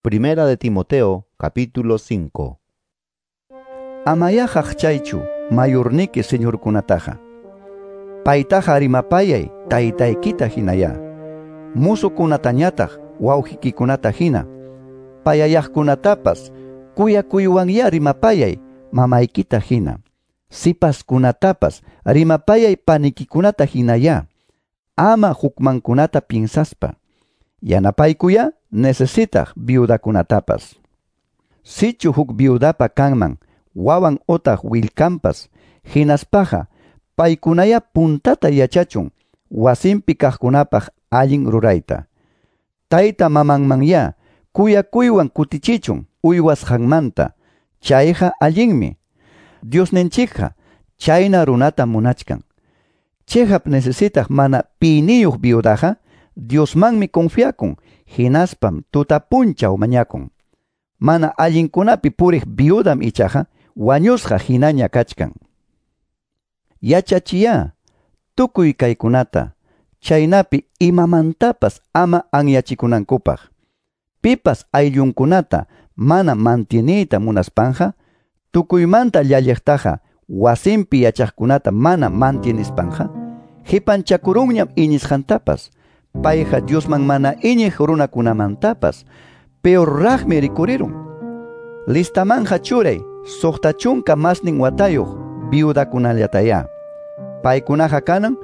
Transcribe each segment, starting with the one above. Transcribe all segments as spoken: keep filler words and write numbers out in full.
Primera de Timoteo, capítulo cinco. Amayá haqchaychu mayurniki señorkunataqa. Paytaqa rimapayay taytaykita hinaya. Musukunatañataq wawqikikunata hina. Payayaqkunatapas kuyakuywanya rimapayay mamaykita hina. Sipaskunatapas rimapayay panikikunata hinaya. Ama hukmankunata piensaspa. Yanapaykuya necesitaq viudakunatapas. Sichu huk viudapa kanman wawan otaq willkampas hinaspaqa paykunaya puntata yachachun wasinpi kaqkunapaq allin rurayta. Tayta mamanmanya kuyakuywan kutichichun uywasqanmanta, chayqa allinmi. Diosninchikqa chayna runata munachkan. Chihap necesitaq mana piniyuq viudaqa Diosmanmi confiakun, hinaspam tutapunchaw mañakun. Mana allinkunapi puriq viudam ichaqa wañusqa hinaña kachkan. Yachachiya tukuy kaykunata, chaynapi imamantapas ama anyachikunankupaq. Pipas ayllunkunata mana mantieniyta munaspanja, tukuymanta llalliqtaqa wasinpi yachaqkunata mana mantienispanqa, hipanchakurunñam iñisqantapas. Payqa Diosman mana iñiq runakunamantapas peorraqmi rikurirun. Listamanja churay suqta chunka masnin watayuq viudakunallataya. Paykunaqa kanan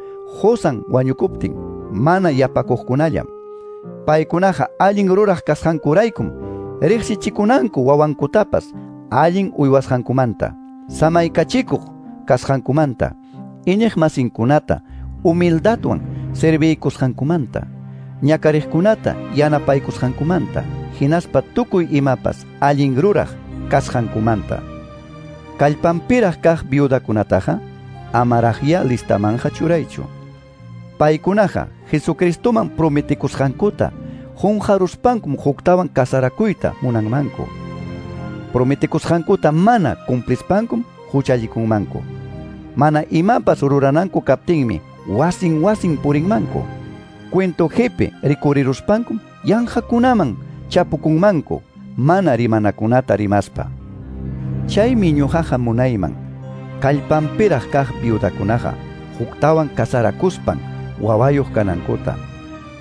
qusan wañukuptin mana yapakuqkunallam. Paykunaqa allin ruraq kasqankuraykum riqsichikunanku wawankutapas allin uywasqankumanta, samaykachikuq kasqankumanta, iñiq masinkunata humildadwan serviykusqankumanta, ñakariqkunata yanapaykusqankumanta, hinaspa tukuy imapas allin ruraq kasqankumanta. Kallpanpiraq kaq viudakunataqa amaraqya listamanja churaychu. Paykunaqa Jesucristoman prometikusqankuta qunqaruspankum huktawan kasarakuyta munanmanku. Prometikusqankuta mana cumplispankum huchallikunmanku. Mana imapas rurananku kaptinmi wasin wasin purinmanku. Cuento jepe rikuriruspankum yanqakunaman chapukunmanku mana rimanakunata rimaspa. Chaymi ñuqaqa munayman kallpanpiraq kaq viudakunaqa huktawan kasarakuspan wawayuq kanankuta,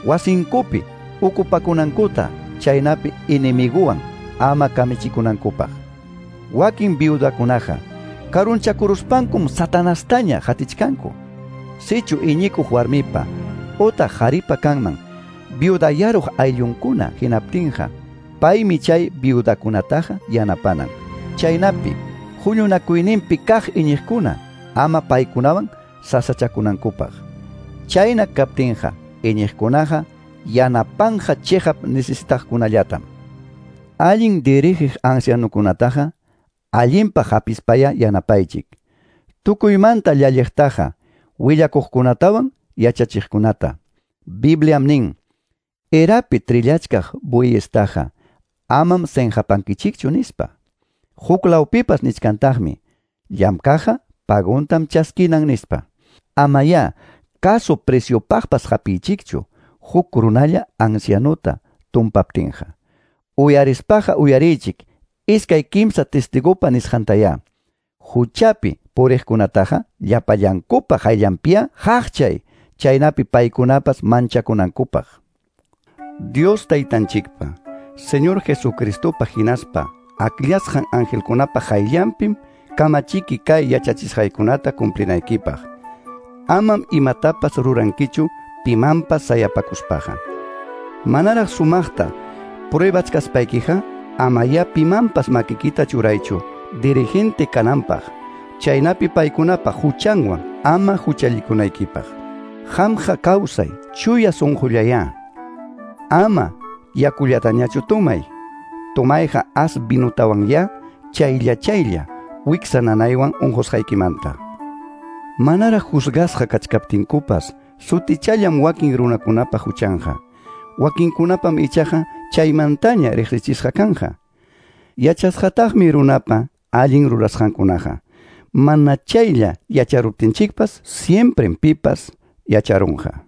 wasinkupi ukupakunankuta, chaynapi enemiguwan ama kamichikunankupaq. Wakin viudakunaqa karunchakuruspankum satanastaña hatichkanku. Sichu iñikuq warmipa otaq qharipa kanman viudayaruq ayllunkuna hinaptinqa paymi chay viudakunataqa yanapanan. Chaynapi huñunakuyninpi kaq iñiqkuna ama paykunawan sasachakunankupaq. Chayna kaptinqa iñiqkunaqa yanapanja chihap necesitaqkunallatam. Allin dirigiq ancianukunataqa allinpaq hapispaya yanapaychik. Tukuymanta llalliqtaqa willakuqkunatawan yachachiqkunata. Bibliam nin, erapi trillachkaq bueyestaqa amam senqapankichikchu nispa. Huklawpipas nichkantaqmi, llamkaqqa paguntam chaskinan nispa. Amaya caso preciopaqpas hapiychikchu huk runalla ancianuta tumpaptinqa. Uyarispaqa uyariychik iskay kimsa testigupa nisqantaya. Huchapi puriqkunataqa llapallankupa qayllanpiya haqchay, chaynapi paykunapas manchakunankupaq. Dios taytanchikpa, Señor Jesucristopa hinaspa akllasqan angelkunapa qayllanpim kamachiki kay yachachisqaykunata cumplinaykipaq. Amam imatapas rurankichu pimanpas sayapakuspaqa. Manaraq sumaqta pruebachkaspaykiqa amaya pimanpas makikita churaychu dirigente kananpaq, chaynapi paykunapa huchanwan ama huchallikunaykipaq. Qamqa kawsay chuya sunqullaya. Ama yakullatañachu tumay. Tumayqa as vinutawanya chaylla chaylla wiksa nanaywan unqusqaykimanta. Manaraq juzgasqa kachkaptinkupas sutichallam wakin runakunapa huchanqa. Wakinkunapam ichaqa chaymantaña riqsichisqa kanja. Yachasqataqmi runapa allin rurasqankunaqa. Mana chaylla yacharuptinchikpas siemprem pipas yacharunqa.